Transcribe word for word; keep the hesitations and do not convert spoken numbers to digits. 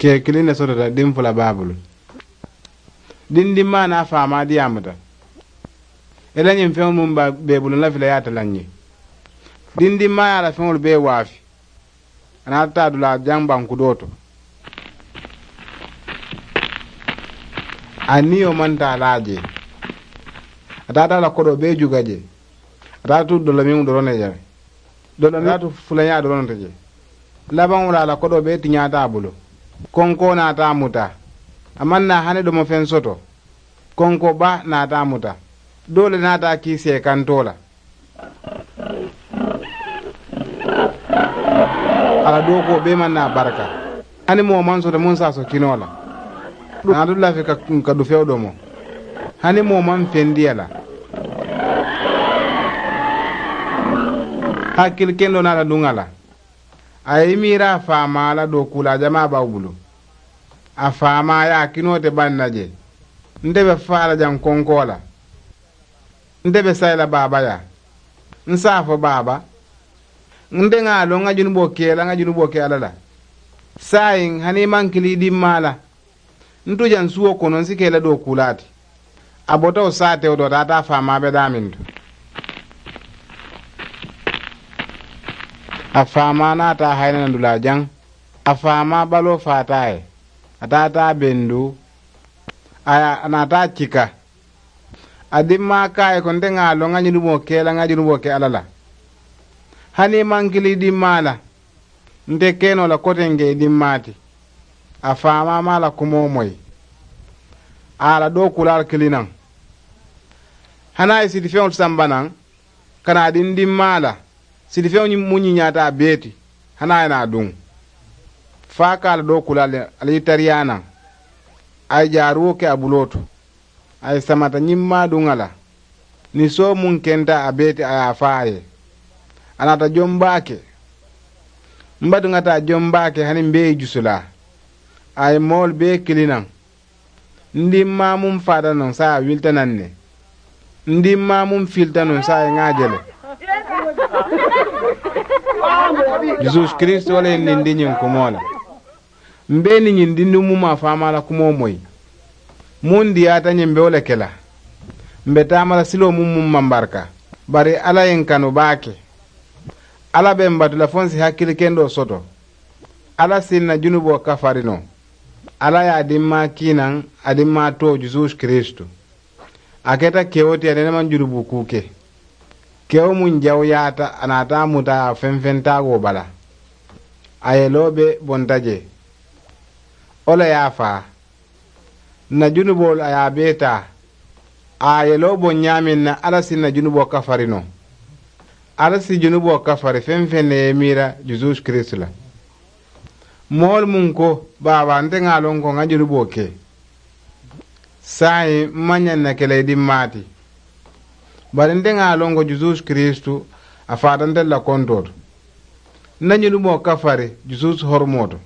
Kee kiliŋ ne sotota diŋ fula baabulu. Diŋ dimmaa naa faamaa diyaamuta. I la ñiŋ feŋolu muŋ bee bulu n la fila yaata la n ye. Diŋ dimmaa ye a la feŋolu bee waafi. A naata taa dulaa jaŋ bankudoo to. A niyo maŋ taa laa jee. A taata a la kodoo bee juga jee. A taata tu dolomiŋo doroŋ ne je. Dolomiŋo a taata tu fulañaa doroŋ ne te je. Labaŋo la a la kodoo bee tiñaata a bulu. Konkoo naata a muta. A maŋ naa hani domofeŋ soto. Konkoo baa naata a muta. Doo le naata a kii seekantoo la. A la dookuwo bee maŋ naa baraka. Hani moo maŋ soto muŋ se a so kinoo la. Naatu lafi ka ka dufewo domo. Hani moo maŋ fendi a la. Hakkili kendoo naata duŋ a la. A ye i miira a faamaa la dookuulaa jamaa bawo bulu. A faamaa ye a kinoo te baŋ na je. Nte be faa la jaŋ konkoo la. Nte be sayi la baaba yaa. N se a fo baaba. Nte ŋa a loŋ ŋa junuboo ke la ŋa junuboo ke alla la. Saayiŋ hani i maŋ kili i dimmaa la. N tu jaŋ suwo kono n si ke la dookuulaa ti. A bota wo saatewo to a taata a faamaa be daamintu. A faamaa naata a hayina na dulaa jaŋ. A faamaa baloo faata a ye. A taata a bendu. A ye a naata a cika. A dimmaa ka a ye ko nte ŋa a loŋ ŋa junuboo ke la ŋa junuboo ke alla la. Hani i maŋ kili i dimmaa la. Nte ke noo la koteŋ ke i dimmaa ti. A faamaa maŋ a la kumoo moyi. A ye a la dookuulaalu kili naŋ. Hani a ye sitifeŋolu samba naŋ. Ka naa diŋ dimmaa la. Sitifeŋo ñiŋ mu ñiñaata a bee ti. Hani a ye naa duŋ. Fo a ka a la dookuulaalu le a la i tariyaa naŋ. A ye jaaruwo ke a buloo to. A ye samata ñiŋ maaduŋ a la. Ni soo muŋ kenta a bee ti a ye a faa a ye. A naata joŋ baake. M batu ŋa taa joŋ baake hani m bee ye jusulaa. A ye moolu bee kili naŋ. N dimmaa muŋ faata nuŋ saayiŋ a wilita naŋ ne. N dimmaa muŋ filita nuŋ saayiŋ ŋa a je le. Jusuusu kiristu wo le ye n dindi ñiŋ kumoo la. M be i niŋ ñiŋ dindiŋ muŋ maŋ a faamaa la kumoo moyi. Muŋ diyaata ñiŋ m be wo le ke la. M be taama la siloo muŋ muŋ maŋ baraka. Bari alla ye n kanu baake. Alla be m batu la fo n si hakkili kendoo soto. Alla si n na junuboo kafari noo. Alla ye a dimmaa kii naŋ a dimmaa too jusuusu kiristu. A keta kewo ti a nene maŋ jurubu kuu ke. Kewo muŋ jawuyaata a naata a muta a feŋ feŋ taagoo bala. A yeloo be bonta jee. Wo le ye a faa. N na junuboolu a ye a bee taa. A yeloo boŋ ñaameŋ na alla si n na junuboo kafari noo. Alla si junuboo kafari feŋ feŋ ne ye i miira jusuusu kiristu la. Moolu muŋ ko baaba nte ŋa a loŋ ko ŋa junuboo ke. Saayiŋ m maŋ ñaŋ na ke la i dimmaa ti. Bari nte ŋa a loŋ ko jusuusu kiristu a faata ntelu la kontoo to. N na ñunu moo kafari jusuusu horomoo to.